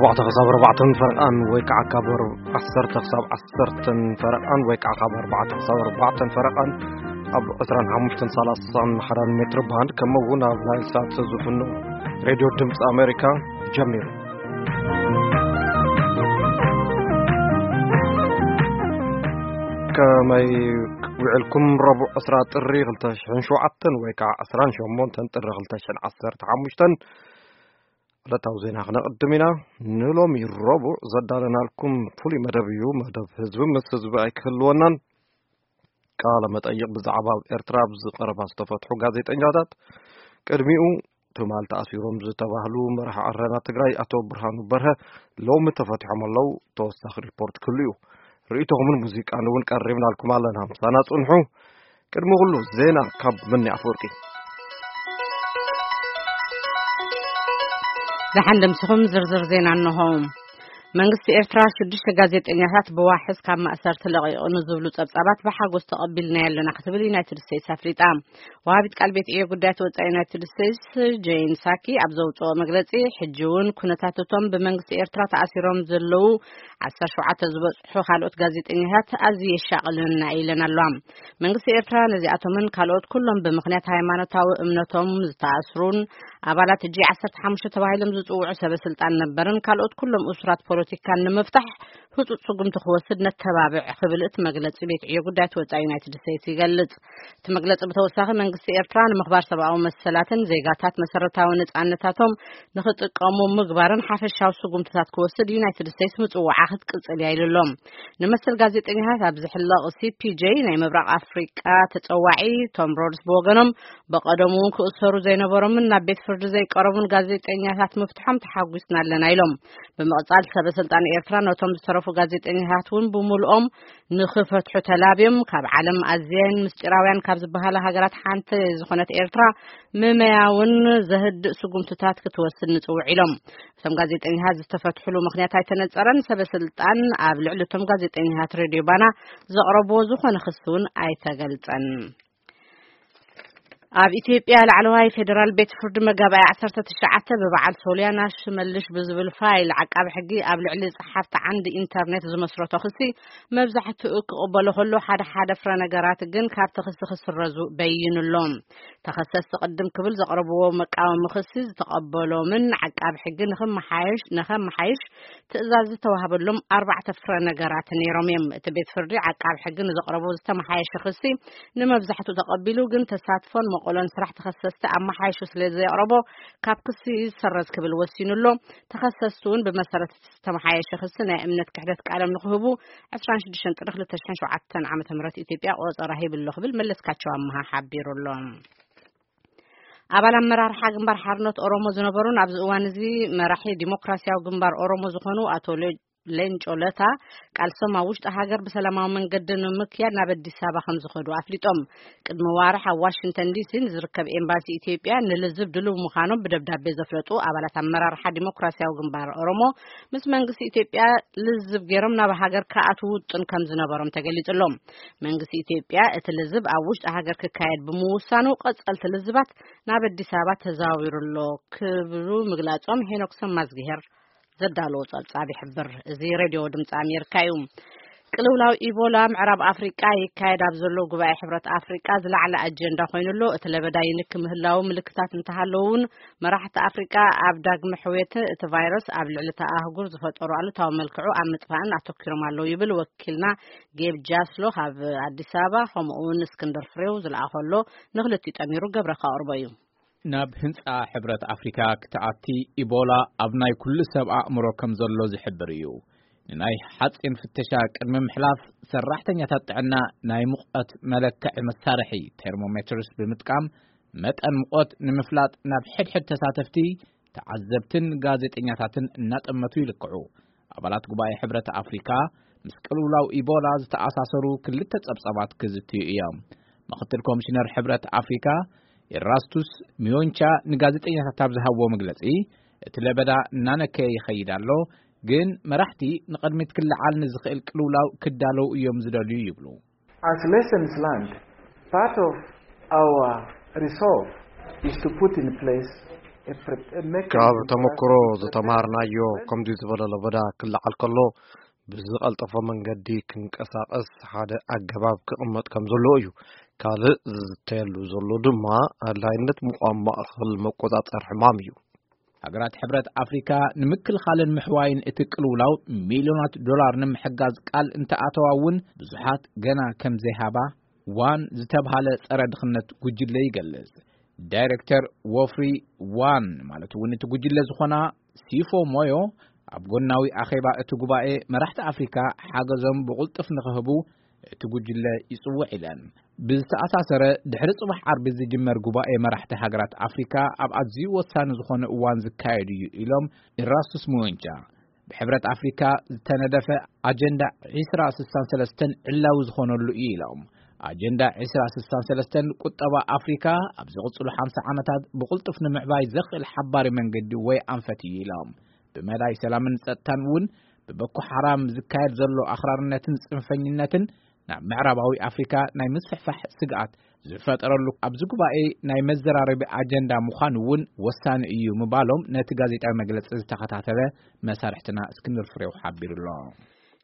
ኣተ ክሳብ ኣርባዕተን ፈረቃን ወይ ከዓ ካብ ኣር-፣ ዓሰርተ ክሳብ ዓሰርተን ፈረቃን ወይ ከዓ ካብ ኣርባዕተ ክሳብ ኣርባዕተን ፈረቃን ኣብ ዕስራን ሓሙሽተን ሰላሳን ሓዳን ሜትር ባንድ፣ ከምኡ እውን ኣብ ናይል ሳት ዝፍኖ ሬድዮ ድምፂ ኣሜሪካ ጀሚሩ። ከመይ ውዕልኩም? ረቡዕ ዕስራ ጥሪ ክልተ ሽሕን ሸውዓተን ወይ ከዓ ዕስራን ሸሞንተን ጥሪ ክልተ ሽሕን ዓሰርተ ሓሙሽተን ዕለታዊ ዜና ክነቕድም ኢና። ንሎሚ ረቡዕ ዘዳለናልኩም ፍሉይ መደብ እዩ። መደብ ህዝቢ ምስ ህዝቢ ኣይክህልወናን። ቃለ መጠይቕ ብዛዕባ ኣብ ኤርትራ ኣብ ዝቐረባ ዝተፈትሑ ጋዜጠኛታት፣ ቅድሚኡ ትማል ተኣሲሮም ዝተባህሉ መራሒ ዓረና ትግራይ ኣቶ ብርሃኑ በርሀ ሎሚ ተፈቲሖም ኣለዉ። ተወሳኺ ሪፖርት ክህሉ እዩ። ርእይቶኹምን ሙዚቃን እውን ቀሪብናልኩም ኣለና። ምሳና ጽንሑ። ቅድሚ ኩሉ ዜና ካብ መኒ ኣፈወርቂ። ዝሓንደምስኹም ዝርዝር ዜና እንሆ። መንግስቲ ኤርትራ ሽዱሽተ ጋዜጠኛታት ብዋሕስ ካብ ማእሰርቲ ለቒቑ ንዝብሉ ጸብጻባት ብሓጎስ ተቐቢልናዮ ኣለና ክትብል ዩናይትድ ስቴትስ ኣፍሊጣ። ወሃቢት ቃል ቤት ዕዮ ጉዳያት ወጻኢ ዩናይትድ ስቴትስ ጄን ሳኪ ኣብ ዘውጽኦ መግለጺ፣ ሕጂ እውን ኩነታት እቶም ብመንግስቲ ኤርትራ ተኣሲሮም ዘለዉ ዓሰርተ ሸውዓተ ዝበጽሑ ካልኦት ጋዜጠኛታት ኣዝዩ የሻቕለና ኢለን ኣለዋ። መንግስቲ ኤርትራ ነዚኣቶምን ካልኦት ኩሎም ብምኽንያት ሃይማኖታዊ እምነቶም ዝተኣስሩን ኣባላት ጂ ዓሰርተ ሓሙሽተ ተባሂሎም ዝጽውዑ ሰበ ስልጣን ነበርን ካልኦት ኩሎም እሱራት ፖለቲካን ንምፍታሕ ህጹጽ ስጉምቲ ክወስድ ነተባብዕ ክብል እቲ መግለጺ ቤት ዕዮ ጉዳያት ወጻኢ ዩናይትድ ስቴትስ ይገልጽ። እቲ መግለጺ ብተወሳኺ መንግስቲ ኤርትራ ንምኽባር ሰብኣዊ መሰላትን ዜጋታት መሰረታዊ ነጻነታቶም ንኽጥቀሙ ምግባርን ሓፈሻዊ ስጉምትታት ክወስድ ዩናይትድ ስቴትስ ምጽዋዓ ክትቅጽል እያ ኢሉ ኣሎ። ንመሰል ጋዜጠኛታት ኣብ ዝሕለቕ ሲ ፒ ጄ ናይ ምብራቕ ኣፍሪቃ ተጸዋዒ ቶም ሮድስ ብወገኖም፣ በቐደሙ እውን ክእሰሩ ዘይነበሮምን ናብ ቤት ፍርዲ ዘይቀረቡን ጋዜጠኛታት ምፍትሖም ተሓጒስና ኣለና ኢሎም። ብምቕጻል ሰበ ስልጣን ኤርትራ ነቶም ዝተረፉ ጋዜጠኛታት እውን ብምሉኦም ንኽፈትሑ ተላብዮም። ካብ ዓለም ኣዝየን ምስጢራውያን ካብ ዝበሃላ ሃገራት ሓንቲ ዝኾነት ኤርትራ ምመያ እውን ዘህድእ ስጉምትታት ክትወስድ ንጽውዕ ኢሎም። እቶም ጋዜጠኛታት ዝተፈትሕሉ ምኽንያት ኣይተነጸረን። ሰበ ስልጣን ኣብ ልዕሊ እቶም ጋዜጠኛታት ሬድዮ ባና ዘቕረብዎ ዝኾነ ክሲ እውን ኣይተገልጸን። ኣብ ኢትዮጵያ ላዕለዋይ ፌዴራል ቤት ፍርዲ መጋባእያ ዓሰርተ ትሽዓተ ብበዓል ሶልያና ሽመልሽ ብዝብል ፋይል ዓቃቢ ሕጊ ኣብ ልዕሊ ጸሓፍቲ ዓንዲ ኢንተርኔት ዝመስረቶ ክሲ መብዛሕትኡ ክቕበሎ ከሎ፣ ሓደ ሓደ ፍረ ነገራት ግን ካብቲ ክሲ ክስረዙ በይኑ ኣሎ። ተኸሰስቲ ቅድም ክብል ዘቕረብዎ መቃወሚ ክሲ ዝተቐበሎምን ዓቃቢ ሕጊ ንኽመሓየሽ፣ ንኸመሓይሽ ትእዛዝ ዝተዋህበሎም ኣርባዕተ ፍረ ነገራት ነይሮም እዮም። እቲ ቤት ፍርዲ ዓቃቢ ሕጊ ንዘቕረቦ ዝተመሓየሸ ክሲ ንመብዛሕትኡ ተቐቢሉ፣ ግን ተሳትፎን መቐሎን ስራሕ ተኸሰስቲ ኣመሓይሹ ስለ ዘየቕረቦ ካብ ክሲ ይሰረዝ ክብል ወሲኑ ኣሎ። ተኸሰስቲ እውን ብመሰረት ዝተመሓየሸ ክሲ ናይ እምነት ክሕደት ቃሎም ንክህቡ ዕስራን ሽዱሽተን ጥሪ ክልተ ሽሕን ሸውዓተን ዓመተ ምህረት ኢትዮጵያ ቆጸራ ሂብሎ ክብል መለስካቸው ኣመሃ ሓቢሩ ኣሎ። ኣባል ኣመራርሓ ግንባር ሓርነት ኦሮሞ ዝነበሩን ኣብዚ እዋን እዚ መራሒ ዲሞክራሲያዊ ግንባር ኦሮሞ ዝኾኑ ኣቶ ሌ-፣ ሌንጮ ለታ፣ ቃልሶም ኣብ ውሽጢ ሃገር ብሰላማዊ መንገዲ ንምክያድ ናብ ኣዲስ ኣበባ ከም ዝኸዱ ኣፍሊጦም። ቅድሚ ዋርሕ ኣብ ዋሽንግተን ዲ ሲ ንዝርከብ ኤምባሲ ኢትዮጵያ ንልዝብ ድሉው ምዃኖም ብደብዳቤ ዘፍለጡ ኣባላት ኣመራርሓ ዲሞክራሲያዊ ግንባር ኦሮሞ፣ ምስ መንግስቲ ኢትዮጵያ ልዝብ ገይሮም ናብ ሃገር ክኣትዉ ውጥን ከም ዝነበሮም ተገሊጹ ኣሎ። መንግስቲ ኢትዮጵያ እቲ ልዝብ ኣብ ውሽጢ ሃገር ክካየድ ብምውሳኑ፣ ቀጸልቲ ልዝባት ናብ ኣዲስ ኣበባ ተዘዋዊሩ ኣሎ ክብሉ ምግላጾም ሄኖክ ሰማዝግሄር ዘዳለዎ ጸብጻብ ይሕብር። እዚ ሬድዮ ድምፂ ኣሜሪካ እዩ። ቅልውላው ኢቦላ ምዕራብ ኣፍሪቃ ይካየድ ኣብ ዘሎ ጉባኤ ሕብረት ኣፍሪቃ ዝለዓለ ኣጀንዳ ኮይኑ ኣሎ። እቲ ለበዳ ይንኪ ምህላው ምልክታት እንተሃለዉ እውን፣ መራሕቲ ኣፍሪቃ ኣብ ዳግመ ሕውየት እቲ ቫይረስ ኣብ ልዕሊ እታ ኣህጉር ዝፈጠሩ ኣሉታዊ መልክዑ ኣብ ምጥፋእን ኣተኪሮም ኣለዉ ይብል ወኪልና ጌብ ጃስሎ ካብ ኣዲስ ኣበባ። ከምኡ እውን እስክንድር ፍሬው ዝለኣኸሎ ንክልቲኡ ጠሚሩ ገብረ ከቕርቦ እዩ። ናብ ህንጻ ሕብረት ኣፍሪካ ክትኣቲ ኢቦላ ኣብ ናይ ኩሉ ሰብ ኣእምሮ ከም ዘሎ ዝሕብር እዩ። ንናይ ሓጺን ፍተሻ ቅድሚ ምሕላፍ፣ ሰራሕተኛታት ጥዕና ናይ ሙቐት መለክዒ መሳርሒ ቴርሞሜትርስ ብምጥቃም፣ መጠን ሙቐት ንምፍላጥ ናብ ሕድሕድ ተሳተፍቲ፣ ተዓዘብትን ጋዜጠኛታትን እናጠመቱ ይልክዑ። ኣባላት ጉባኤ ሕብረት ኣፍሪካ ምስ ቅልውላው ኢቦላ ዝተኣሳሰሩ ክልተ ጸብጻባት ክዝትዩ እዮም። ምኽትል ኮሚሽነር ሕብረት ኣፍሪካ ኤራስቱስ ሚዮንቻ ንጋዜጠኛታት ኣብ ዝሃብዎ መግለጺ፣ እቲ ለበዳ እናነከየ ይኸይድ ኣሎ፣ ግን መራሕቲ ንቕድሚት ክለዓል ንዝኽእል ቅልውላው ክዳለዉ እዮም ዝደልዩ ይብሉ። As lessons learned, part of our resolve is to put in place ካብ ተመክሮ ዝተማሃርናዮ ከምዚ ዝበለ ለበዳ ክለዓል ከሎ ብዝቐልጠፎ መንገዲ ክንቀሳቐስ ሓደ ኣገባብ ክቕመጥ ከም ዘለዎ እዩ። ካልእ ዝዝተየሉ ዘሎ ድማ ኣድላይነት ምቋም ማእኸል መቆጻጸር ሕማም እዩ። ሃገራት ሕብረት ኣፍሪካ ንምክልኻልን ምሕዋይን እቲ ቅልውላው ሚልዮናት ዶላር ንምሕጋዝ ቃል እንተኣተዋ እውን ብዙሓት ገና ከም ዘይሃባ ዋን ዝተብሃለ ጸረ ድኽነት ጉጅለ ይገልጽ። ዳይሬክተር ወፍሪ ዋን ማለት እውን እቲ ጉጅለ ዝኾና ሲፎ ሞዮ ኣብ ጎናዊ ኣኼባ እቲ ጉባኤ መራሕቲ ኣፍሪካ ሓገዞም ብቕልጡፍ ንኽህቡ እቲ ጉጅለ ይጽውዕ ኢለን። ብዝተኣሳሰረ ድሕሪ ጽባሕ ዓርቢ ዝጅመር ጉባኤ መራሕቲ ሃገራት ኣፍሪካ ኣብ ኣዝዩ ወሳኒ ዝኾነ እዋን ዝካየድ እዩ ኢሎም ኢራስቱስ ሙወንቻ። ብሕብረት ኣፍሪካ ዝተነደፈ ኣጀንዳ ዕስራ ስሳን ሰለስተን ዕላዊ ዝኾነሉ እዩ ኢሎም። ኣጀንዳ ዕስራ ስሳን ሰለስተን ቁጠባ ኣፍሪካ ኣብ ዝቕፅሉ ሓምሳ ዓመታት ብቕልጡፍ ንምዕባይ ዘኽእል ሓባሪ መንገዲ ወይ ኣንፈት እዩ ኢሎም። ብመዳይ ሰላምን ጸጥታን እውን ብበኮ ሓራም ዝካየድ ዘሎ ኣኽራርነትን ጽንፈኝነትን ናብ ምዕራባዊ ኣፍሪካ ናይ ምስፍሕፋሕ ስግኣት ዝፈጠረሉ ኣብዚ ጉባኤ ናይ መዘራረቢ ኣጀንዳ ምዃኑ እውን ወሳኒ እዩ ምባሎም ነቲ ጋዜጣዊ መግለጺ ዝተኸታተለ መሳርሕትና እስክንድር ፍሬው ሓቢሩ ኣሎ።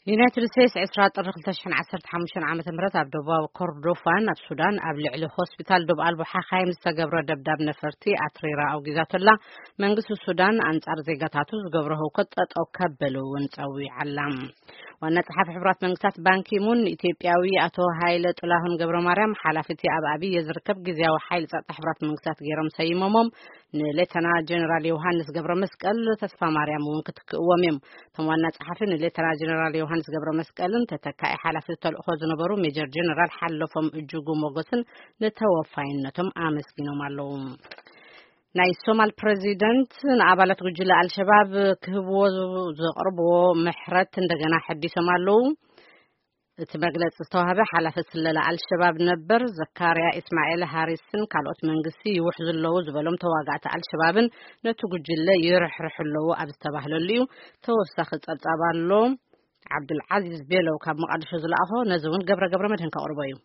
ዩናይትድ ስቴትስ ዕስራ ጥሪ ክልተ ሽሕን ዓሰርተ ሓሙሽተን ዓመተ ምህረት ኣብ ደቡባዊ ኮርዶፋን ኣብ ሱዳን ኣብ ልዕሊ ሆስፒታል ዶብ ኣልቦ ሓኻይም ዝተገብረ ደብዳብ ነፈርቲ ኣትሪራ ኣውጊዛቶላ። መንግስቲ ሱዳን ኣንጻር ዜጋታቱ ዝገብሮ ህውከት ጠጠው ከብል እውን ጸዊዓላ። ዋና ጸሓፊ ሕቡራት መንግስታት ባንኪሙን ንኢትዮጵያዊ ኣቶ ሃይለ ጥላሁን ገብረ ማርያም ሓላፊ እቲ ኣብ ኣብየ ዝርከብ ግዝያዊ ሓይሊ ጸጥታ ሕቡራት መንግስታት ገይሮም ሰይሞሞም። ንሌተና ጀነራል ዮሃንስ ገብረ መስቀል ተስፋ ማርያም እውን ክትክእዎም እዮም። እቶም ዋና ጸሓፊ ንሌተና ጀነራል ዮሃንስ ገብረ መስቀልን ተተካኢ ሓላፊ ተልእኾ ዝነበሩ ሜጀር ጀነራል ሓለፎም እጅጉ ሞገስን ንተወፋይነቶም ኣመስጊኖም ኣለዉ። ናይ ሶማል ፕሬዚደንት ንኣባላት ጉጅለ ኣልሸባብ ክህብዎ ዘቕርብዎ ምሕረት እንደገና ሐዲሶም ኣለዉ። እቲ መግለጺ ዝተዋህበ ሓላፊ ስለላ ኣልሸባብ ነበር ዘካርያ ኢስማኤል ሃሪስን ካልኦት መንግስቲ ይውሕዙ ኣለዉ ዝበሎም ተዋጋእቲ ኣልሸባብን ነቲ ጉጅለ ይርሕርሑ ኣለዉ ኣብ ዝተባህለሉ እዩ። ተወሳኺ ጸብጻብ ኣሎ። ዓብዱልዓዚዝ ቤለው ካብ መቓድሾ ዝለኣኾ፣ ነዚ እውን ገብረ ገብረ መድህን ከቕርቦ እዩ።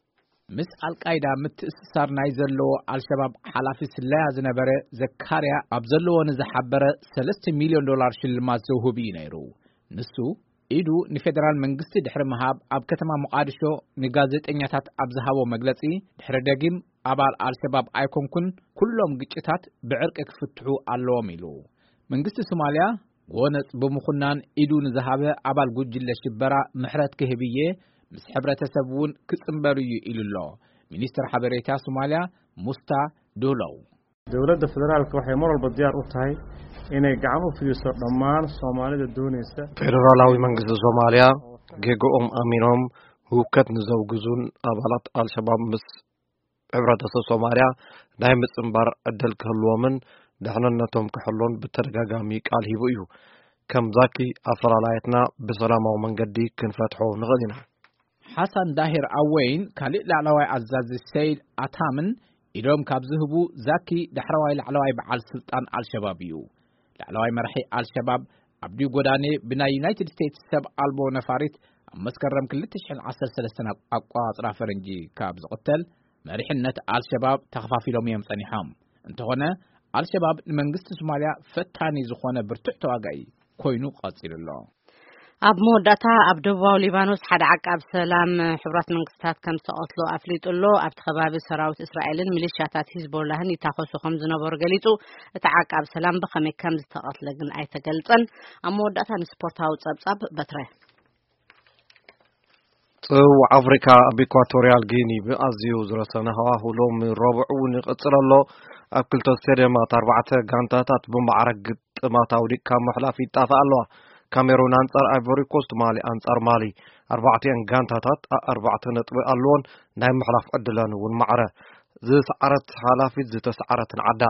ምስ ኣልቃይዳ ምትእስሳር ናይ ዘለዎ ኣልሸባብ ሓላፊ ስለያ ዝነበረ ዘካርያ ኣብ ዘለዎ ንዝሓበረ ሰለስተ ሚልዮን ዶላር ሽልማት ዘውህብ እዩ ነይሩ። ንሱ ኢዱ ንፌደራል መንግስቲ ድሕሪ ምሃብ ኣብ ከተማ ሞቓድሾ ንጋዜጠኛታት ኣብ ዝሃቦ መግለጺ ድሕሪ ደጊም ኣባል ኣልሸባብ ኣይኮንኩን፣ ኩሎም ግጭታት ብዕርቂ ክፍትሑ ኣለዎም ኢሉ። መንግስቲ ሶማልያ ጎነጽ ብምኹናን ኢዱ ንዝሃበ ኣባል ጉጅለ ሽበራ ምሕረት ክህብ እየ፣ ምስ ሕብረተሰብ እውን ክጽንበር እዩ ኢሉ ኣሎ ሚኒስትር ሓበሬታ ሶማልያ ሙስታ ዱህሎው። Dowladda federaalka waxay mar walba diyaar u tahay inay gacan u fidiso dhammaan Soomaalida doonaysa. ፌደራላዊ መንግስቲ ሶማልያ ጌግኦም ኣሚኖም ህውከት ንዘውግዙን ኣባላት ኣልሸባብ ምስ ሕብረተሰብ ሶማልያ ናይ ምጽንባር ዕድል ክህልዎምን ደሕንነቶም ክሕሎን ብተደጋጋሚ ቃል ሂቡ እዩ። ከም ዛኪ ኣፈላላየትና ብሰላማዊ መንገዲ ክንፈትሖ ንኽእል ኢና። ሓሳን ዳሂር ኣወይን ካልእ ላዕለዋይ ኣዛዚ ሰይድ ኣታምን ኢዶም ካብ ዝህቡ ዛኪ ዳሕረዋይ ላዕለዋይ በዓል ስልጣን ኣልሸባብ እዩ። ላዕለዋይ መራሒ ኣልሸባብ ኣብዲ ጎዳኔ ብናይ ዩናይትድ ስቴትስ ሰብ ኣልቦ ነፋሪት ኣብ መስከረም ክልተ ሽሕን ዓሰርተ ሰለስተን ኣቋጽራ ፈረንጂ ካብ ዝቕተል መሪሕነት ኣልሸባብ ተኸፋፊሎም እዮም ጸኒሖም። እንተኾነ ኣልሸባብ ንመንግስቲ ሶማልያ ፈታኒ ዝኾነ ብርቱዕ ተዋጋኢ ኮይኑ ቀጺሉ ኣሎ። ኣብ መወዳእታ ኣብ ደቡባዊ ሊባኖስ ሓደ ዓቃብ ሰላም ሕቡራት መንግስታት ከም ዝተቐትሎ ኣፍሊጡ ኣሎ። ኣብቲ ከባቢ ሰራዊት እስራኤልን ሚሊሻታት ሂዝቦላህን ይታኸሱ ከም ዝነበሩ ገሊጹ። እቲ ዓቃብ ሰላም ብኸመይ ከም ዝተቐትለ ግን ኣይተገልጸን። ኣብ መወዳእታ ንስፖርታዊ ጸብጻብ በትረ። ጽውዕ ኣፍሪካ ኣብ ኢኳቶሪያል ጊኒ ብኣዝዩ ዝረሰነ ሃዋሁ ሎሚ ረቡዕ እውን ይቕጽል ኣሎ። ኣብ ክልተ ስቴድየማት ኣርባዕተ ጋንታታት ብማዕረ ግጥማት ኣውዲቕካ ምሕላፍ ይጣፍኣ ኣለዋ። ካሜሩን ኣንጻር ኣይቮሪ ኮስት፣ ማሊ ኣንጻር ማሊ። ኣርባዕቲአን ጋንታታት ኣርባዕተ ነጥቢ ኣለዎን ናይ ምሕላፍ ዕድለን እውን ማዕረ ዝሰዓረት ሓላፊት ዝተሰዓረትን ዓዳ።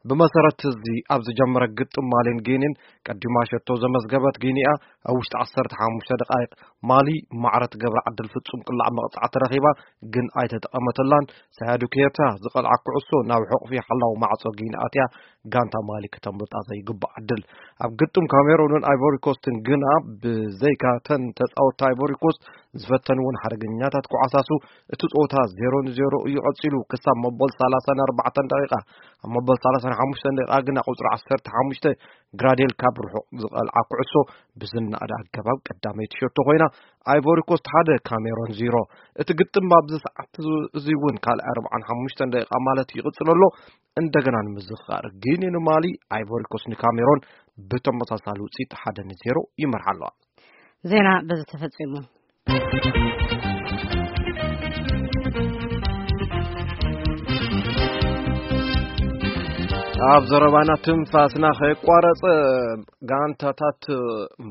ብመሰረት እዚ ኣብ ዝጀመረ ግጥም ማሊን ጊኒን ቀዲማ ሸቶ ዘመዝገበት ጊኒያ ኣብ ውሽጢ ዓሰርተ ሓሙሽተ ደቃይቕ ማሊ ማዕረ ትገብራ ዕድል ፍጹም ቅላዕ መቕጻዕቲ ረኺባ፣ ግን ኣይተጠቐመተላን። ሳያዱ ኬታ ዝቐልዓ ኩዕሶ ናብ ሕቑፊ ሓላው ማዕጾ ጊን ኣትያ፣ ጋንታ ማሊ ከተምልጣ ዘይግባእ ዕድል። ኣብ ግጥም ካሜሮንን ኣይቮሪ ኮስትን ግና፣ ብዘይካ ተን ተጻወትቲ ኣይቮሪ ኮስት ዝፈተንዎን ሓደገኛታት ኩዓሳሱ፣ እቲ ጸወታ ዜሮ ንዜሮ እዩ ቀጺሉ ክሳብ መበል ሰላሳን ኣርባዕተን ደቂቃ። ኣብ መበል ሰላሳን ሓሙሽተን ደቂቃ ግና ቁጽሪ ዓሰርተ ሓሙሽተ ግራዴል ካብ ርሑቕ ዝቐልዓ ኩዕሶ ብዝነኣደ ኣገባብ ቀዳመይቲ ሸቶ ኮይና፣ ኣይቮሪ ኮስት ሓደ ካሜሮን ዜሮ። እቲ ግጥም ኣብዚ ሰዓት እዚ እውን ካልኣይ ኣርባዓን ሓሙሽተን ደቂቃ ማለት ይቕጽል ኣሎ። እንደገና ንምዝኽኻር፣ ጊኒ ንማሊ፣ ኣይቮሪ ኮስት ንካሜሮን ብተመሳሳሊ ውጽኢት ሓደ ንዜሮ ይመርሓ ኣለዋ። ዜና በዚ ተፈጺሙ። ኣብ ዘረባና ትንፋስና ከየቋረጸ፣ ጋንታታት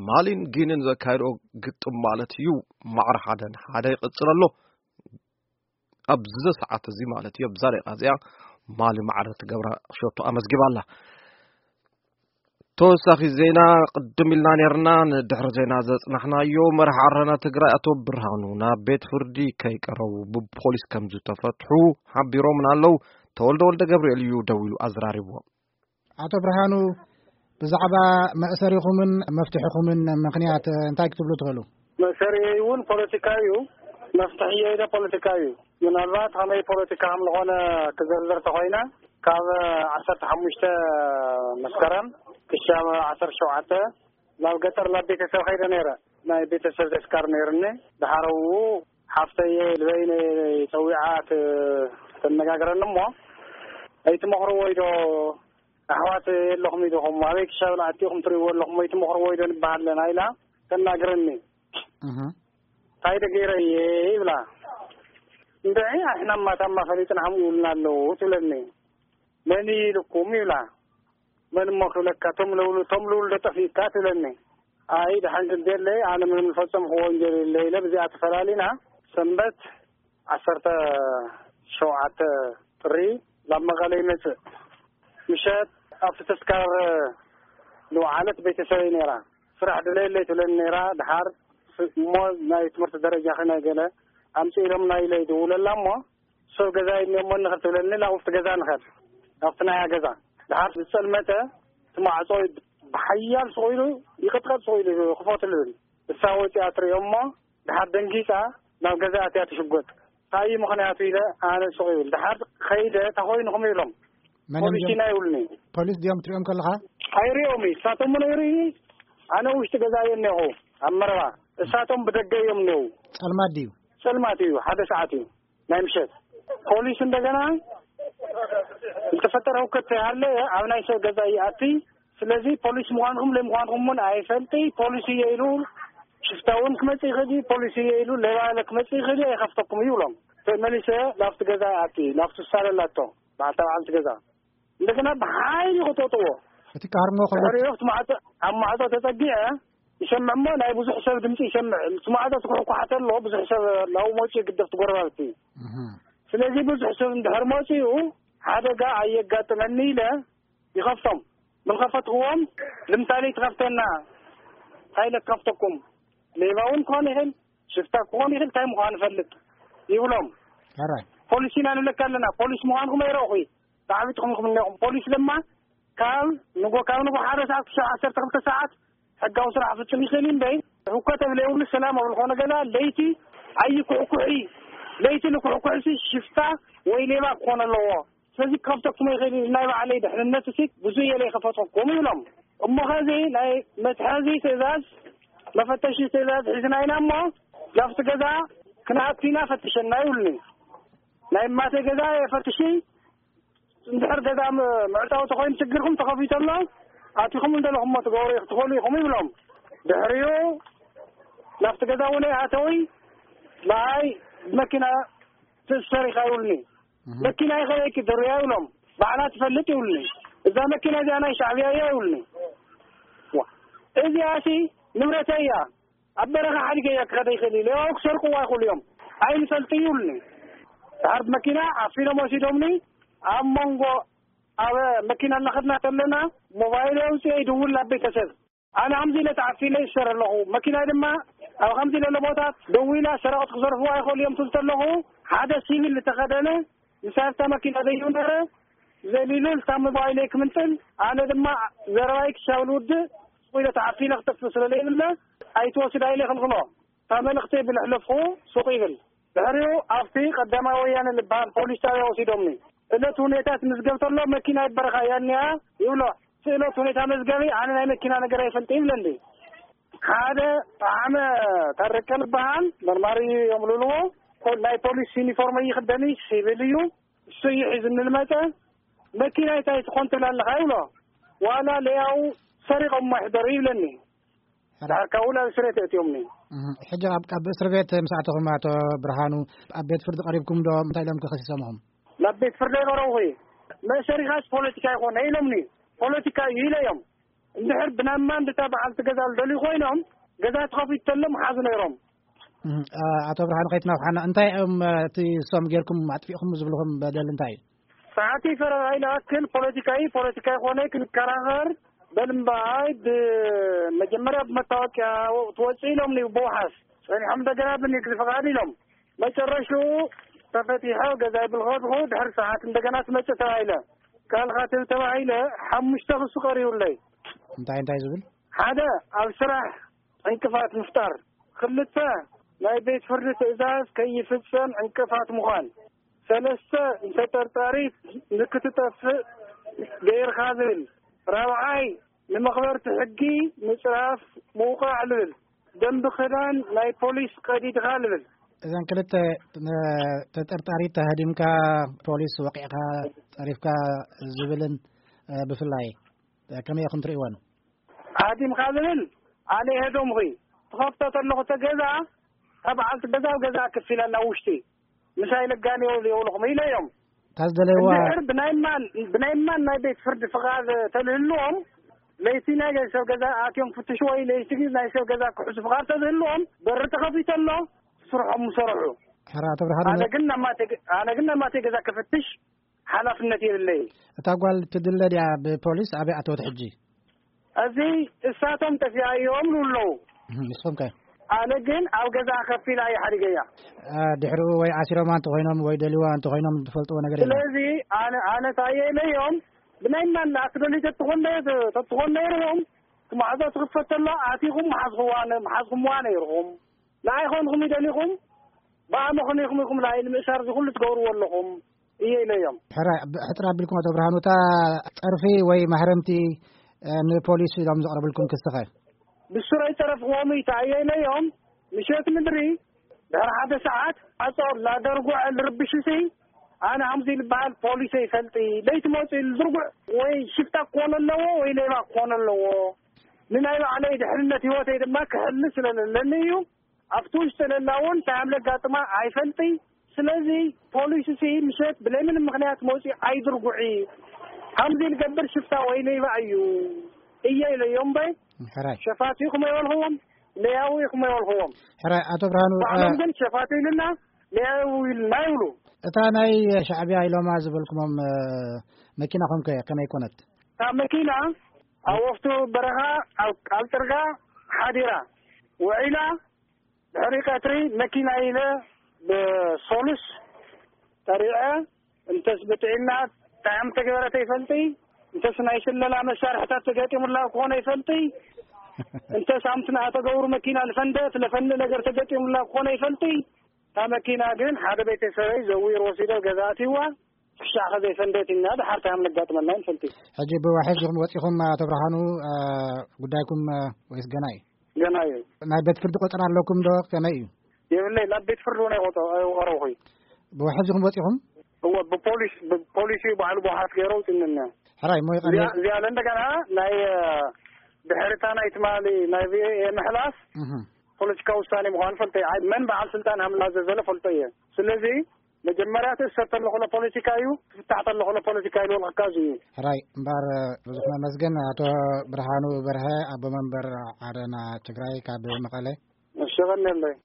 ማሊን ጊንን ዘካየድኦ ግጥም ማለት እዩ፣ ማዕረ ሓደ ንሓደ ይቕጽል ኣሎ። ኣብዚ ሰዓት እዚ ማለት እዩ፣ ኣብዛ ደቂቃ እዚኣ ማሊ ማዕረ ትገብራ ሸቶ ኣመዝጊባ ኣላ። ተወሳኺ ዜና ቅድም ኢልና ነርና፣ ንድሕሪ ዜና ዘጽናሕናዮ፣ መራሒ ዓረና ትግራይ ኣቶ ብርሃኑ ናብ ቤት ፍርዲ ከይቀረቡ ብፖሊስ ከም ዝተፈትሑ ሓቢሮምና ኣለዉ። ተወልደ ወልደ ገብርኤል እዩ ደዊሉ ኣዘራሪብዎ። ኣቶ ብርሃኑ፣ ብዛዕባ መእሰሪኹምን መፍትሒኹምን ምኽንያት እንታይ ክትብሉ ትኽእሉ? መእሰሪየይ እውን ፖለቲካዊ እዩ፣ መፍትሒየይ ለ ፖለቲካዊ እዩ። ምናልባት ከመይ ፖለቲካ ከም ዝኾነ ክዘርዘር ተኾይነ፣ ካብ ዓሰርተ ሓሙሽተ መስከረም ክሻብ ዓሰርተ ሸውዓተ ናብ ገጠር ናብ ቤተሰብ ከይደ ነይረ። ናይ ቤተሰብ ተስካር ነይርኒ። ድሓረኡ ሓፍተየ ልበይነ ጸዊዓ ት-፣ ተነጋግረኒ እሞ፣ "ኣይትመኽርዎ ኢዶ ኣሕዋት የለኹም ኢድኹም፣ ኣበይ ክሻብል ኣቲኹም ትርእይዎ ኣለኹም፣ ኣይትመኽርዎ ኢዶ ንበሃለና?" ኢላ ተናግረኒ። እህ። "እንታይ ደገይረ እየ?" ይብላ። "እንድዒ ኣሕና ማታማ ፈሊጥና ሃምኡ ኢሉና ኣለዉ" ትብለኒ። "መን ኢልኩም?" ይብላ። "መን እሞ ክብለካ፣ ቶም ልውሉ-፣ ቶም ልውልዶ ጠፊእካ?" ትብለኒ። "ኣይ፣ ደሓን ግን ደለይ፣ ኣነ ምንም ዝፈጸምኩዎ ወንጀል የለ" ኢለ፣ ብዚኣ ተፈላሊና። ሰንበት ዓሰርተ ሸውዓተ ጥሪ ናብ መቐለ ይመጽእ። ምሸት ኣብቲ ተስካር ዝወዓለት ቤተሰበይ ነይራ። ስራሕ ድለየለይ ትብለኒ ነይራ። ድሓር ስ-፣ እሞ ናይ ትምህርቲ ደረጃኺ ናይ ገለ ኣምጽእ ኢሎምና ኢለ ይድውለላ እሞ፣ ሰብ ገዛ እኒኦሞ ንኽድ ትብለኒ፣ ናብቲ ገዛ ንኸድ፣ ናብቲ ናያ ገዛ። ድሓር ዝጸልመተ፣ እቲ ማዕጾ ብሓያል ስቕ ኢሉ ይቕጥቀጥ፣ ስቕ ኢሉ ክፈቱ ልብል። እሳ ወፂኣ ትሪኦ እሞ፣ ድሓር ደንጊፃ ናብ ገዛ ኣትያ ትሽጎጥ። እንታይ እዩ ምኽንያቱ ኢለ ኣነ ስቕ ይብል። ድሓር ከይደ፣ "እንታይ ኮይንኹም?" ይብሎም። መን እዮም ፖሊስ እዚኦም? ኢና ይብሉኒ። ፖሊስ ድዮም ትሪኦም ከለኻ? ኣይሪኦም እዩ። እሳቶም እውን ኣይርኢ። ኣነ ውሽጢ ገዛ እየ እኒኹ፣ ኣብ መረባ። እሳቶም ብደገ እዮም እኒው። ጸልማት ድዩ? ጸልማት እዩ፣ ሓደ ሰዓት እዩ ናይ ምሸት። ፖሊስ እንደገና ዝተፈጠረ ህውከት ተይሃለ ኣብ ናይ ሰብ ገዛ ይኣቲ። ስለዚ ፖሊስ ምዃንኩም ለይ ምዃንኩም እውን ኣይፈልጢ። ፖሊስ እየ ኢሉ ሽፍታ እውን ክመጽእ ይኽእል እዩ። ፖሊስ እየ ኢሉ ሌባ ኢለ ክመጽእ ይኽእል እዩ። ኣይኸፍተኩም እዩ ይብሎም። መሊሰ ናብቲ ገዛ ይኣቲ፣ ናብቲ ዝሳለላቶ በዓልታ በዓልቲ ገዛ። እንደገና ብሓይሊ ክጠጥዎ። እቲ ክሃርሞ ከሎ ድሕሪኡ ኣብቲ ማዕጾ፣ ኣብ ማዕጾ ተጸጊዐ ይሰምዕ እሞ ናይ ብዙሕ ሰብ ድምጺ ይሰምዕ። እቲ ማዕጾ ትኩሕኳሕ ተሎ ብዙሕ ሰብ ናብኡ መጺኡ ይግደፍ፣ እቲ ጎረባብቲ። እህ። ስለዚ ብዙሕ ሰብ እንድሕር መጺኡ ሓደጋ ኣየጋጥመኒ ኢለ ይኸፍቶም። ምልከፈትክዎም ልምሳሌ ትኸፍተና፣ እንታይ ኢለ ክኸፍተኩም? ሌባ እውን ክኾን ይኽእል፣ ሽፍታ ክኾን ይኽእል፣ እንታይ ምዃኑ ፈልጥ ይብሎም። ሕራይ። ፖሊስ ኢና ንብለካ ኣለና፣ ፖሊስ ምዃንኩም ኣይረእኹ፣ ተዓቢጥኩም ኢኹም እኒኹም። ፖሊስ ድማ ካብ ንጎ፣ ካብ ንጎ ሓደ ሰዓት ክሳብ ዓሰርተ ክልተ ሰዓት ሕጋዊ ስራሕ ፍጹም ይኽእል እዩ እምበይ፣ ህውከት ኣብ ዘይብሉ ሰላም ኣብ ዝኾነ ገዛ ለይቲ ኣይኩሕኩሒ። ለይቲ ንኩሕኩሕሲ ሽፍታ ወይ ሌባ ክኾን ኣለዎ። ስለዚ ክኸፍተኩም ይኽእል እዩ፣ ናይ ባዕለይ ድሕንነት እሲ ብዙ እየ ዘይከፈትኩም ይብሎም። እሞ ኸዚ ናይ መትሓዚ ትእዛዝ፣ መፈተሺ ትእዛዝ ሒዝና ኢና እሞ ናብቲ ገዛ ክንኣቱ ኢና፣ ፈትሸና ይብሉኒ። ናይ እማተይ ገዛ የፈትሺ፣ እንድሕር ገዛ ም-፣ ምዕጻው ተኾይኑ ችግርኩም ተኸፊቱ ኣሎ፣ ኣቲኹም እንደለኹሞ ትገብሩ ክትኾኑ ኢኹም ይብሎም። ድሕሪኡ ናብቲ ገዛ እውን ኣተዊ፣ ንዓይ ብመኪና ትእሰር ኢኻ ይብሉኒ። እህ። መኪና ይኸበይኪ ድርያ ይብሎም። ባዕላ ትፈልጥ ይብሉኒ። እዛ መኪና እዚኣ ናይ ሻዕብያ እያ ይብሉኒ። ዋ፣ እዚኣሲ ንብረተይ እያ። ኣብ በረኻ ሓዲገ እያ ክኸደ ይኽእል እዩ። ሌባው ክሰርቅዋ ይኽእሉ እዮም። ኣይንፈልጥ ይብሉኒ። ድሓር ብመኪና ኣፊኖም ወሲዶምኒ። ኣብ መንጎ ኣብ መኪና እናኸድና ከለና ሞባይል ኣውፅኤ ይድውል ናብ ቤተሰብ። ኣነ ከምዚ ኢለ ተዓፊለ ይሰር ኣለኹ። መኪናይ ድማ ኣብ ከምዚ ኢለ ቦታት ደዊላ ሰረቕት ክዘርፍዋ ይኽእሉ እዮም ትብል ኣለኹ። ሓደ ሲቪል ዝተኸደነ ምሳብታ መኪና ዘይው ነረ ዘሊሉ ልታ ሞባይለይ ክምንጥል፣ ኣነ ድማ ዘረባይ ክሻብል ውድእ ስቑ ኢለ ተዓፊለ ክጠፍእ ስለ ዘይብለ ኣይትወስዳ ኢለ ይኽልክሎ። እታ መልእኽተይ ብልሕለፍኹ ሱቕ ይብል። ድሕሪኡ ኣብቲ ቀዳማዊ ወያነ ዝበሃል ፖሊስ ጣብያ ወሲዶምኒ። እለት ሁኔታ ትምዝገብ ተሎ መኪና ይበረኻ እያ እኒኣ ይብሎ። ስእለት ሁኔታ መዝገቢ ኣነ ናይ መኪና ነገር ኣይፈልጥ ይብለኒ። ሓደ ጣዕመ ታረቀ ዝበሃል መርማሪ እዮም ልብልዎ። ፖ- ናይ ፖሊስ ዩኒፎርም ይኽደን እዩ፣ ሲቪል እዩ። እሱ እዩ ሒዙኒ ዝመፀ። መኪና እንታይ ትኾን ትብላ ኣለኻ ይብሎ። ዋላ ለያው ሰሪቆም ይሕደሩ ይብለኒ። ሕራ- ዳርካ ውላ ስሬት እትዮምኒ። እህ፣ ሕጂ ኣብ ኣብ እስር ቤት ምስ ኣተኹም ኣቶ ብርሃኑ ኣብ ቤት ፍርዲ ቀሪብኩም ዶ? እንታይ ኢሎም ከሲሶምኹም? ናብ ቤት ፍርዲ ኣይቀረብኹ። መእሰሪኻስ ፖለቲካ ይኾነ ኢሎምኒ። ፖለቲካ እዩ ኢለዮም። እንድሕር ብናይ ማን ድታ በዓልቲ ገዛ ዝደልዩ ኮይኖም ገዛ ተኸፊቱ ተሎ ምሓዙ ነይሮም። እህ፣ ኣ- ኣቶ ብርሃኑ ከይትነውሓና እንታይ እዮም እቲ እሶም ጌርኩም ኣጥፊእኹም ዝብልኹም በደል እንታይ እዩ? ሰዓቲ ፈረቓ ኢለ ኣክል ፖለቲካዊ ፖለቲካዊ ኮነ ክንከራኸር በልምባይ ብመጀመርያ ብመታወቅያ ትወፅእ ኢሎም ኒ ብውሓስ ፀኒሖም እንደገና ብንግዲ ፍቓድ ኢሎም መጨረሽኡ ተፈቲሐ ገዛይ ብልኸድኹ ድሕሪ ሰዓት እንደገና ትመፅእ ተባሂለ ካልካ ትብል ተባሂለ ሓሙሽተ ክሱ ቀሪቡለይ። እንታይ እንታይ ዝብል? ሓደ ኣብ ስራሕ ዕንቅፋት ምፍጣር። ክልተ ናይ ቤት ፍርዲ ትእዛዝ ከይፍፀም ዕንቅፋት ምዃን። ሰለስተ ንተጠርጣሪት ንክትጠፍእ ገይርካ ዝብል። ራብዓይ ንመኽበርቲ ሕጊ ምፅራፍ ምውቃዕ ልብል። ደንቢ ክዳን ናይ ፖሊስ ቀዲድኻ ልብል። እዘን ክልተ ተጠርጣሪት ተሃዲምካ ፖሊስ ወቂዕካ ፀሪፍካ ዝብልን ብፍላይ ከመይ ኢኹም ትርእይወን? ኣዲምካ ዝብል ኣነ ይሄዶም ኹይ ትኸፍቶ ተለኹ ተገዛ ካብ በዓልቲ ገዛ ኣብ ገዛ ክፍ ኢላ ናብ ውሽጢ ምሳይ ለጋኒ የብልኹም ኢለ እዮም። ታዝደለይዋ እንድሕር ብናይ ማን ብናይ ማን ናይ ቤት ፍርዲ ፍቓድ ተልህልዎም ለይቲ ናይ ሰብ ገዛ ኣትዮም ፍትሽ ወይ ለይቲ ናይ ሰብ ገዛ ክሕሱ ፍቓድ ተዝህልዎም በሪ ተኸፊቶ ኣሎ ስርሖም ምሰርሑ። ሕራ ተብርሃ ኣነ ግን ናማተ ኣነ ግን ናማተ ገዛ ክፍትሽ ሓላፍነት የብለይ። እታ ጓል ትድለ ድያ ብፖሊስ ኣበይ ኣተወት ሕጂ? እዚ እሳቶም ጠፊኣ እዮም ኣለዉ። ንስኹም ከ? ኣነ ግን ኣብ ገዛ ከፊላ እየ ሓዲገያ። ድሕሪኡ ወይ ዓሲሮማ እንተኮይኖም ወይ ደልዋ እንተኮይኖም ትፈልጥዎ ነገር የለን? ስለዚ ኣነ ኣነ ታየ ኢለዮም ብናይ ማን ኣክደሊ ተትኾን ተትኾን ነይርዎም ማዕጾ ትኽፈት ተሎ ኣቲኹም መሓዝኹዋ መሓዝኹምዋ ነይርኹም። ንኣይ ኾንኹም ይደሊኹም ብኣመኽንዮኹም ኢኹም ንኣይ ንምእሳር እዚ ኩሉ ትገብርዎ ኣለኹም እየ ኢለዮም። ሕራይ ሕጥር ኣቢልኩም ኣቶ ብርሃኑ እታ ፀርፊ ወይ ማህረምቲ ንፖሊስ ኢሎም ዘቕረብልኩም ክስኸ? ብስረይ ፀረፍዎም እዩ እየ ኢለዮም። ምሸት ምድሪ ድሕሪ ሓደ ሰዓት ኣፀው ላደርጉዐ ልርብሽ ሲ ኣነ ሃምዚ ልበሃል ፖሊስ ይፈልጢ ለይቲ መፅኡ ዝርጉዕ ወይ ሽፍታ ክኾነ ኣለዎ ወይ ሌባ ክኾነ ኣለዎ። ንናይ ባዕለይ ድሕንነት ህይወተይ ድማ ክሕሊ ስለለለኒ እዩ። ኣብቲ ውሽጢ ለላ እውን እንታይ ከም ለጋጥማ ኣይፈልጢ። ስለዚ ፖሊስ ሲ ምሸት ብለይ ምንም ምክንያት መውፂ ኣይድርጉዒ። ከምዚ ልገብር ሽፍታ ወይ ሌባ እዩ እየ ኢለዮም እምበይ ሕራይ ሸፋቱ ኢኹም ኣይበልኽዎም። ለያዊ ኢኹም ኣይበልኽዎም። ሕራይ ኣቶ ብርሃኑ ባዕሎም ግን ሸፋቱ ኢልና ለያዊ ኢልና ይብሉ። እታ ናይ ሻዕቢያ ኢሎማ ዝበልኩሞም መኪናኹም ከ ከመይ ኮነት? እታ መኪና ኣብ ወፍቱ በረኻ ኣብ ቃል ጥርጋ ሓዲራ ውዒላ። ድሕሪ ቀትሪ መኪና ኢለ ብሶሉስ ጠሪዐ እንተስ ብጥዒና እንታይ ከም ተገበረ ተይፈልጢ እንተስ ናይ ስለላ መሳርሕታት ተገጢሙላ ክኾነ ይፈልጢ እንተስ ኣምትና ተገብሩ መኪና ልፈንደት ለፈንድ ነገር ተገጢሙላ ክኾነ ይፈልጢ። እታ መኪና ግን ሓደ ቤተሰበይ ዘዊር ወሲዶ ገዛ ኣትይዋ። ክሻኸ ዘይፈንደት ኢና ድሓር እንታይ ከም ለጋጥመና ንፈልጢ። ሕጂ ብዋሕስ ኢኹም ወፂኹም ኣቶ ብርሃኑ ጉዳይኩም ወይስ ገና እዩ? ገና እዩ። ናይ ቤት ፍርዲ ቆፀራ ኣለኩም ዶ ከመይ እዩ? የብለይ ናብ ቤት ፍርዲ እውን ኣይቆጠ ኣይቀረብኹ። ብዋሕስ ኢኹም ወፂኹም? እወ ብፖሊስ ብፖሊስ እዩ ባዕሉ ብዋሕስ ገይሮ ውፅንና። ሕራይ ሞ ይቐኒ እዚኣ እዚኣ እንደገና ናይ ድሕርታ ናይ ትማሊ ናይ ቪኦኤ ምሕላፍ ፖለቲካዊ ውሳኔ ምዃኑ ፈልጠ እየ። መን በዓል ስልጣን ሃምላ ዘዘለ ፈልጠ እየ። ስለዚ መጀመርያ ትእሰር ተለኹ ለ ፖለቲካ እዩ ትፍታሕ ተለኹ ለ ፖለቲካ ኢሉ ወልክካ እዚ እዩ። ሕራይ እምበኣር ብዙሕ መመስገን ኣቶ ብርሃኑ በርሀ ኣቦ መንበር ዓረና ትግራይ ካብ መቐለ። እሸቐኒ ኣለይ።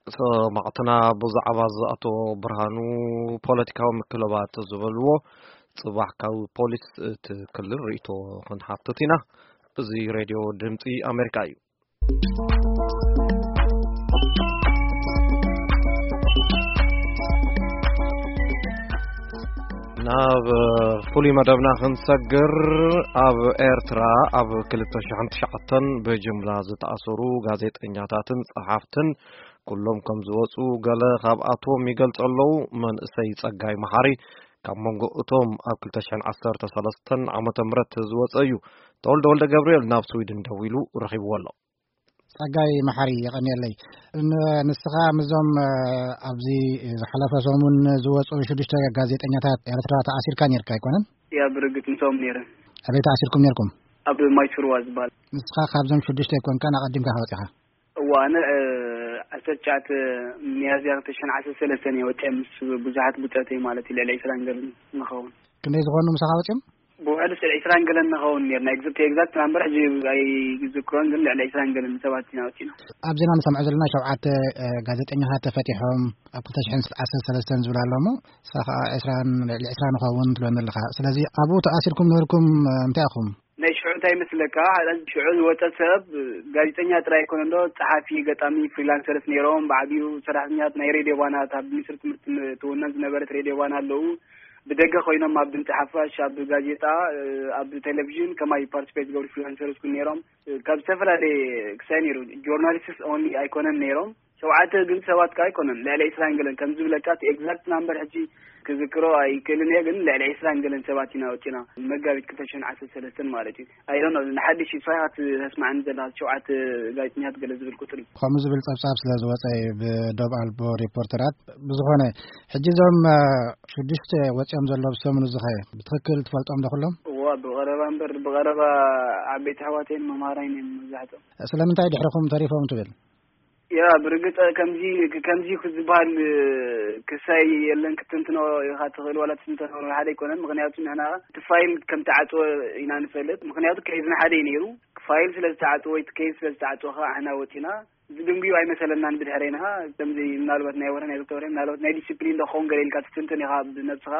ሰማዕትና ብዛዕባ እዚ ኣቶ ብርሃኑ ፖለቲካዊ ምክልባት ዝበልዎ ጽባሕ ካብ ፖሊስ እቲ ክልል ርእይቶ ክንሓትት ኢና። እዚ ሬድዮ ድምጺ ኣሜሪካ እዩ። ናብ ፍሉይ መደብና ክንሰግር፣ ኣብ ኤርትራ ኣብ ክልተ ሽሕን ትሽዓተን ብጅምላ ዝተኣሰሩ ጋዜጠኛታትን ጸሓፍትን፣ ኩሎም ከም ዝወጹ ገለ ካብኣቶም ይገልጹ ኣለዉ። መንእሰይ ጸጋይ መሓሪ ካብ መንጎ እቶም ኣብ ክልተ ሽሕን ዓሰርተ ሰለስተን ዓመተ ምህረት ዝወጸ እዩ። ተወልደ ወልደ ገብርኤል ናብ ስዊድን ደዊሉ ረኺብዎ ኣሎ። ጸጋይ መሓሪ፣ የቐንየለይ። ን-፣ ንስኻ ምስዞም፣ እ፣ ኣብዚ ዝሓለፈ ሰሙን ዝወጹ ሽዱሽተ ጋዜጠኛታት ኤርትራ ተኣሲርካ ኔርካ ኣይኮነን? ያ፣ ብርግጽ ምስኦም ኔረ። ኣበይ ተኣሲርኩም ኔርኩም? ኣብ ማይስርዋ ዝበሃል። ንስኻ ካብዞም ሽዱሽተ ኣይኮንካን፣ ኣቐዲምካ ወጺኻ? እዋ፣ ኣነ፣ እ፣ ዓሰርተ ትሽዓተ ሚያዝያ ክልተ ሽሕን ዓሰርተ ሰለስተን እየ ወጺአ፣ ምስ ብዙሓት ብጾተይ ማለት እዩ፣ ልዕሊ ዕስራን ገለን ንኸውን። ክንደይ ዝኾኑ ምሳኻ ወጺኦም? ብውሕዱ ስለ ዕስራን ገለን ንኸውን ኔርና። ኤግዛክት፣ ኤግዛክት ናምበር ሕጂ ኣይዝክሮን፣ ግን ልዕሊ ዕስራን ገለን ሰባት ኢና ወጺና። ኣብ ዜና ንሰምዖ ዘለና ሸውዓተ፣ እ፣ ጋዜጠኛታት ተፈቲሖም ኣብ ክልተ ሽሕን ዓሰርተ ሰለስተን ዝብል ኣሎ እሞ፣ ንስኻ ኸኣ ዕስራን፣ ልዕሊ ዕስራ ንኸውን ትብለኒ ኣለኻ። ስለዚ ኣብኡ ተኣሲርኩም ነበርኩም፣ እ፣ እንታይ ኢኹም? ናይ ሽዑ እንታይ ይመስለካ? ሽዑ ዝወጸ ሰብ ጋዜጠኛ ጥራይ ኣይኮነን ዶ፣ ጸሓፊ፣ ገጣሚ፣ ፍሪላንሰርስ ነይሮም። ብዓቢኡ ሰራሕተኛታት ናይ ሬድዮ ባና፣ እታ ብሚኒስትሪ ትምህርቲ ትውነን ዝነበረት ሬድዮ ባና ኣለዉ። ብደገ ኮይኖም ኣብ ድምጺ ሓፋሽ፣ ኣብ ጋዜጣ፣ እ፣ ኣብ ቴሌቪዥን ከማይ ፓርቲስፔት ዝገብሩ ፍሪላንሰርስ እውን ነይሮም። እ፣ ካብ ዝተፈላለየ ክሳይ ነይሩ። ጆርናሊስትስ ኦንሊ ኣይኮነን ነይሮም። ሸውዓተ ግን ሰባት ከኣ ኣይኮነን፣ ልዕሊ ዕስራን ገለን ከም ዝብለካ፣ እቲ ኤግዛክት ናምበር ሕጂ ክዝክሮ ኣይክእልን እየ፣ ግን ልዕሊ ዕስራን ገለን ሰባት ኢና ወጺና፣ መጋቢት ክልተ ሽሕን ዓሰርተ ሰለስተን ማለት እዩ። ኣይ ዶንት ኖ፣ ንሓድሽ እዩ፣ ንስኻ ኢኻ ተስምዓኒ ዘለኻ፣ ሸውዓተ ጋዜጠኛታት ገለ ዝብል ቁጽሪ። ከምኡ ዝብል ጸብጻብ ስለ ዝወጸ እዩ ብዶብ ኣልቦ ሪፖርተራት። ብዝኾነ፣ ሕጂ እዞም፣ እ፣ ሽዱሽተ ወጺኦም ዘለዉ ብሰሙን እዚ ኸ ብትኽክል ትፈልጦም ዶ ኩሎም? እዋ፣ ብቐረባ እምበር፣ ብቐረባ ዓበይቲ ኣሕዋተይን መምሃራይን እዮም መብዛሕትኦም። ስለምንታይ ድሕርኹም ተሪፎም ትብል? ያ፣ ብርግጽ ከምዚ፣ ከምዚ ዝበሃል ክሳይ የለን ክትትንትኖ ኢኻ ትኽእል፣ ዋላ ትንተኖ ሓደ ኣይኮነን። ምኽንያቱ ንሕና እቲ ፋይል ከም ተዓጽወ ኢና ንፈልጥ። ምኽንያቱ ኬዝ ንሓደ እዩ ነይሩ። ፋይል ስለ ዝተዓጽወ ወይ እቲ ኬዝ ስለ ዝተዓጽወ ኸዓ ንሕና ወጺና። ዝድንጉዩ ኣይመሰለናን ብድሕሬና። ከምዚ ምናልባት ናይ ወርሒ ናይ ክልተ ወርሒ ምናልባት ናይ ዲስፕሊን ዶ ክኸውን ገለ ኢልካ ትትንትን ኢኻ ብነብስኻ።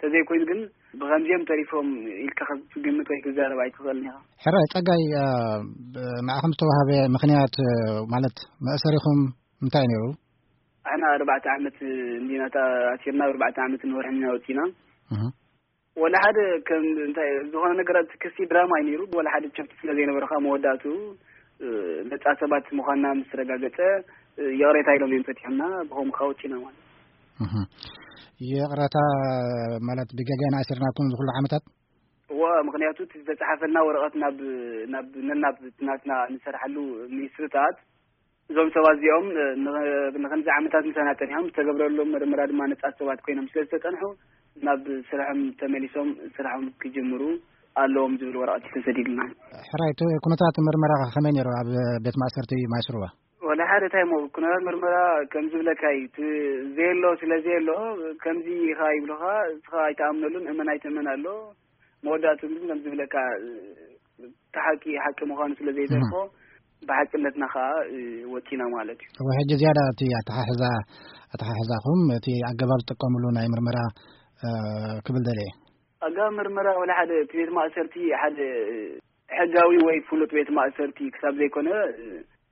ተዘይኮይኑ ግን ብኸምዚኦም ተሪፎም ኢልካ ክትግምት ወይ ክትዛረብ ኣይትኽእልን ኢኻ። ሕራይ ጸጋይ፣ እ፣ ብ-፣ ንዓኹም ዝተዋህበ ምኽንያት፣ እ፣ ማለት መእሰሪኹም እንታይ ነይሩ? ኣሕና ኣርባዕተ ዓመት እንዲና ተኣሲርና፣ ኣርባዕተ ዓመት ንወርሕን ኢና ወጺና። እህ። ወላ ሓደ ከም እንታይ ዝኾነ ነገራት ክሲ ድራማ እዩ ነይሩ። ወላ ሓደ ቸፍቲ ስለ ዘይነበረ ከዓ መወዳእቱ፣ እ፣ ነጻ ሰባት ምዃንና ምስ ተረጋገጸ፣ እ፣ ይቕሬታ ኢሎም እዮም ፈቲሖምና፣ ብኸምኡ ከዓ ወጺና ማለት። እህ። ይቕረታ ማለት ብገገና ኣሲርናኩም ዝኹሉ ዓመታት? እወ፣ ምኽንያቱ እቲ ዝተጻሓፈልና ወረቐት ናብ፣ ናብ፣ ነናብ ናትና ንሰርሓሉ ሚኒስትሪታት፣ እዞም ሰባት እዚኦም፣ እ፣ ን-፣ ንኽንዚ ዓመታት ምሳና ጸኒሖም፣ ዝተገብረሎም መርመራ ድማ ነጻት ሰባት ኮይኖም ስለ ዝተጸንሑ፣ ናብ ስርሖም ተመሊሶም ስርሖም ክጅምሩ ኣለዎም ዝብል ወረቐት እዩ ተሰዲድልና። ሕራይ፣ እቲ ኩነታት ምርመራ ከመይ ነይሩ ኣብ ቤት ማእሰርቲ ማይስሩዋ? ወላ ሓደ እንታይ እሞ፣ ኩነታት ምርመራ ከም ዝብለካ እዩ። እቲ ዘየሎ ስለ ዘየሎ፣ ከምዚ ኢኻ ይብሉኻ፣ እስኻ ኣይትኣምነሉን፣ እመን ኣይትእመን ኣሎ። መወዳእቱ ግን ከም ዝብለካ፣ እቲ ሓቂ ሓቂ ምዃኑ ስለ ዘይተርፎ፣ እህ። ብሓቅነትና ኸዓ፣ እ፣ ወጺና ማለት እዩ። እወ፣ ሕጂ ዝያዳ እቲ ኣተሓሕዛ፣ ኣተሓሕዛኹም፣ እቲ ኣገባብ ዝጥቀምሉ ናይ ምርመራ፣ እ፣ ክብል ደልየ። ኣገባብ ምርመራ ወላ ሓደ፣ እቲ ቤት ማእሰርቲ ሓደ፣ እ፣ ሕጋዊ ወይ ፍሉጥ ቤት ማእሰርቲ ክሳብ ዘይኮነ፣ እ፣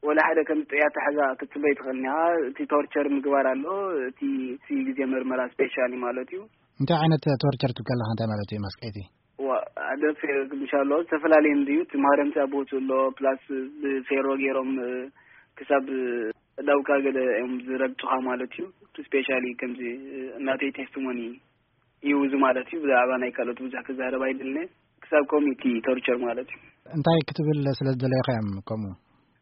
ወላ ሓደ ከም ጥያት ኣተሓሕዛ ክትጽበይ ትኽእል ኢኻ። እቲ ቶርቸር ምግባር ኣሎ፣ እቲ፣ እቲ ግዜ ምርመራ ስፔሻሊ ማለት እዩ። እንታይ ዓይነት ቶርቸር ትብል ከለኻ እንታይ ማለት እዩ መስቀይቲ? ዋ፣ ሓደ ፌ-፣ ምሻሎ ዝተፈላለየ እንድዩ። እቲ ማህረምቲ ኣብ ቦትኡ ኣሎ፣ ፕላስ ብፌሮ ገይሮም፣ እ፣ ክሳብ ዳውካ ገለ እዮም ዝረግጡኻ ማለት እዩ። እቲ ስፔሻሊ ከምዚ፣ እ፣ እናተይ ቴስቲሞኒ እዩ እዚ ማለት እዩ። ብዛዕባ ናይ ካልኦት ብዙሕ ክዛረብ ኣይደልን እየ። ክሳብ ኮሚቲ ቶርቸር ማለት እዩ። እንታይ ክትብል ስለ ዝደለኻ እዮም ከምኡ?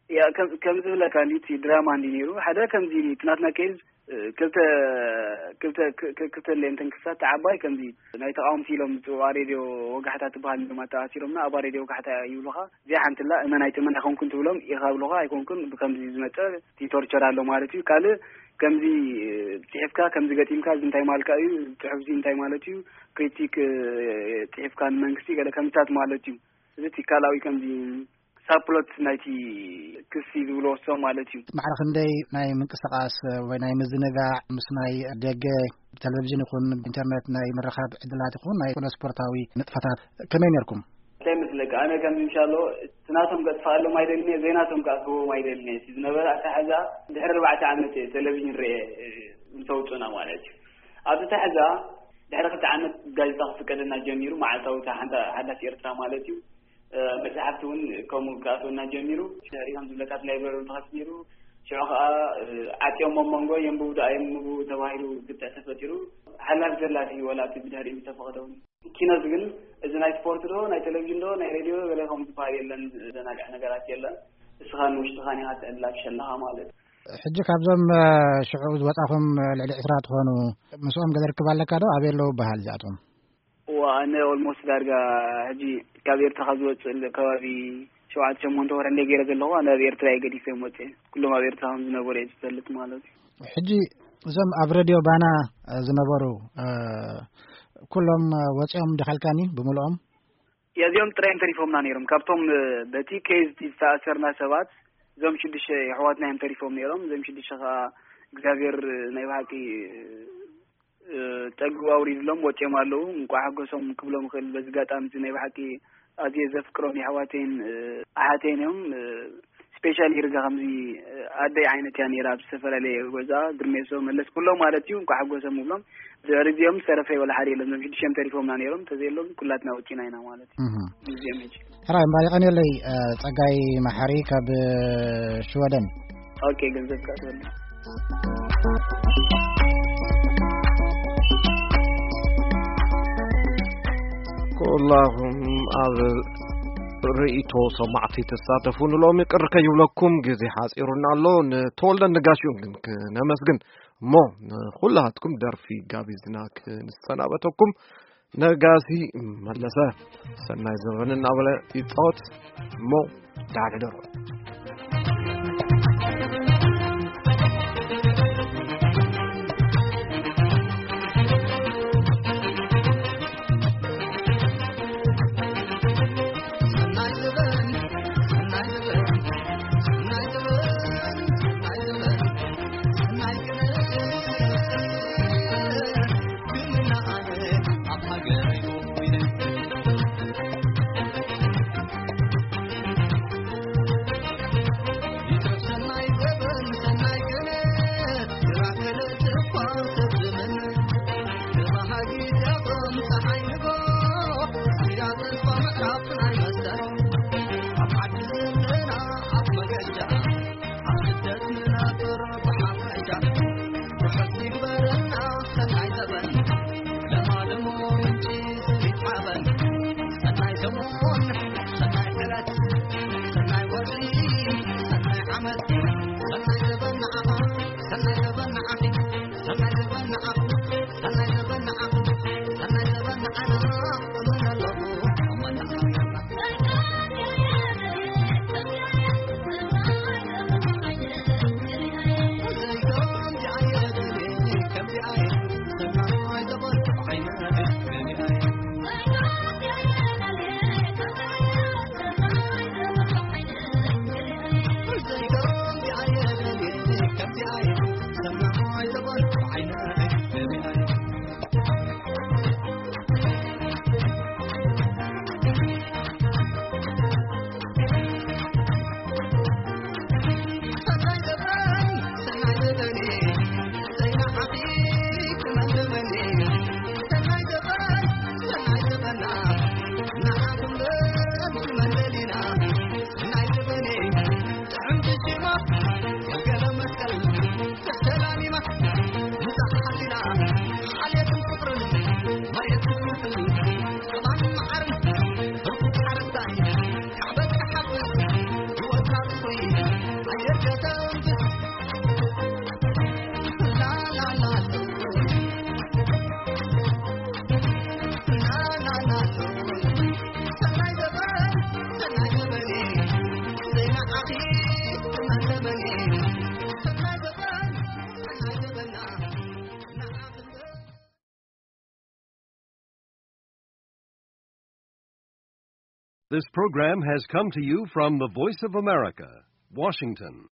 ያ፣ ከም፣ ከም ዝብለካ እንዲ እቲ ድራማ እንዲ ነይሩ፣ ሓደ ከምዚ እቲ ናትና ኬዝ፣ እ፣ ክልተ፣ ክልተ፣ ክ-፣ ክ-፣ ክልተ ሌንተን ክሳት ዓባይ ከምዚ ናይ ተቃወምቲ ኢሎም ዝጽውዓ ሬድዮ ወጋሕታ ትበሃል ድማ ተኣሲሮምና፣ ኣብኣ ሬድዮ ወጋሕታ ይብሉኻ። እዚኣ ሓንትላ እመን ኣይትእመን ኣይኮንኩን ትብሎም ኢኻ ብሉኻ፣ ኣይኮንኩን ብከምዚ ዝመጸ እቲ ቶርቸር ኣሎ ማለት እዩ። ካልእ ከምዚ፣ እ፣ ጽሒፍካ ከምዚ ገጢምካ እዚ እንታይ ማልካ እዩ፣ ጽሑፍ እዚ እንታይ ማለት እዩ፣ ክሪቲክ፣ እ፣ ጽሒፍካ ንመንግስቲ ገለ ከምታት ማለት እዩ። እዚ እቲ ካልኣዊ ከምዚ ሳፕሎት ናይቲ ክሲ ዝብልዎ እሶም ማለት እዩ። ማዕረ ክንደይ ናይ ምንቅስቃስ ወይ ናይ ምዝንጋዕ ምስ ናይ ደገ ብቴሌቪዥን ይኹን ብኢንተርኔት ናይ ምርኻብ ዕድላት ይኹን ናይ ስፖርታዊ ንጥፈታት ከመይ ነርኩም? እንታይ ምስ ለካ ኣነ ከም ምሻሎ፣ እቲ ናቶም ከጥፋኣሎም ኣይደልን እየ፣ ዘይናቶም ከኣ ክህቦም ኣይደልን እየ። እቲ ዝነበረ ኣተሓዛ ድሕሪ ኣርባዕተ ዓመት እየ ቴሌቪዥን ርኤ፣ እ፣ ምስ ኣውፁና ማለት እዩ። ኣብቲ ኣተሓዛ ድሕሪ ክልተ ዓመት ጋዜጣ ክፍቀደና ጀሚሩ፣ መዓልታዊ እታ ሓንታ ሓዳስ ኤርትራ ማለት እዩ። እ፣ መጽሓፍቲ እውን ከምኡ ክኣትወና ጀሚሩ። ድሕሪ ከም ዝብለካ እቲ ላይብረሪ ተኸፊቱ ነይሩ። ሽዑ ከኣ፣ እ፣ ዓጽዮም ኣብ መንጎ የንብቡ ዶ ኣየንብቡ ተባሂሉ ግጥዕ ተፈጢሩ። ሓላፊ ዘላፊ ወላ እቲ ብድሕሪኡ ዝተፈቐደ እውን። ኪኖስ ግን እዚ ናይ ስፖርት ዶ፣ ናይ ቴሌቪዥን ዶ፣ ናይ ሬድዮ ዶ፣ ገለ ከምኡ ዝበሃል የለን። ዘናግዕ ነገራት የለን። እስኻ ንውሽጥኻ ኔኻ ትዕላሽ ኣለኻ ማለት። ሕጂ ካብዞም፣ እ፣ ሽዑ ዝወጻኹም፣ እ፣ ልዕሊ ዕስራ ትኾኑ፣ ምስኦም ገለ ርክብ ኣለካ ዶ? ኣበይ ኣለዉ በሃል እዚኣቶም? እዋ፣ ኣነ ኦልሞስት ዳርጋ ሕጂ ካብ ኤርትራ ካብ ዝወጽእ ከባቢ ሸውዓተ ሸሞንተ ወርሒ እንደ ገይረ ዘለኹ፣ ኣነ ኣብ ኤርትራ እየ ገዲፈ ወጽኤ። ኩሎም ኣብ ኤርትራ ከም ዝነበሩ እየ ዝፈልጥ ማለት እዩ። ሕጂ እዞም ኣብ ሬድዮ ባና፣ እ፣ ዝነበሩ፣ እ፣ ኩሎም፣ እ፣ ወጺኦም ዲኻልካኒ ብምልኦም? እዚኦም ጥራይ እዮም ተሪፎምና ነይሮም። ካብቶም፣ እ፣ በቲ ኬዝ ዝተኣሰርና ሰባት፣ እዞም ሽዱሽተ የሕዋትና እዮም ተሪፎም ነይሮም። እዞም ሽዱሽተ ከኣ እግዚኣብሔር ናይ ብሓቂ፣ እ፣ ጸግኡ ኣውሪድሎም ወጺኦም ኣለዉ። እንቋዕ ሓጎሶም ክብሎም እኽእል። በዚ ኣጋጣሚ እዚ ናይ ብሓቂ ኣዝየ ዘፍቅሮም የሕዋተይን፣ እ፣ ኣሓተይን እዮም። እ፣ ስፔሻሊ ርጋ ከምዚ፣ እ፣ ኣደይ ዓይነት እያ ነይራ። ኣብ ዝተፈላለየ ገዛ ግርሜሶ መለስ ኩሎም ማለት እዩ። እንቋዕ ሓጎሶም እብሎም። ድሕሪ እዚኦም ዝተረፈ ወላ ሓደ የለን። እዞም ሽዱሽተ ተሪፎምና ነይሮም። እንተዘየሎም ኩላትና ወጺና ኢና ማለት እዩ። እህ። እዚኦም ሕጂ። ሕራይ እምበኣር የቐንየለይ፣ እ፣ ጸጋይ መሓሪ ካብ፣ እ፣ ሽወደን። ኦኬ፣ ገንዘብ ከኣትወልና። ኩላኹም ኣብ ርእይቶ ሰማዕቲ ትሳተፉ ንሎሚ ቅር ከይብለኩም ግዜ ሓጺሩና ኣሎ። ንተወልደ ነጋሽኡን ግን ክነመስግን እሞ ንኹላትኩም ደርፊ ጋቢዝና ክንሰናበተኩም። ነጋሲ መለሰ ሰናይ ዘበን እናበለ ይጻወት እሞ ደሓን ሕደሩ። This program has come to you from the Voice of America, Washington.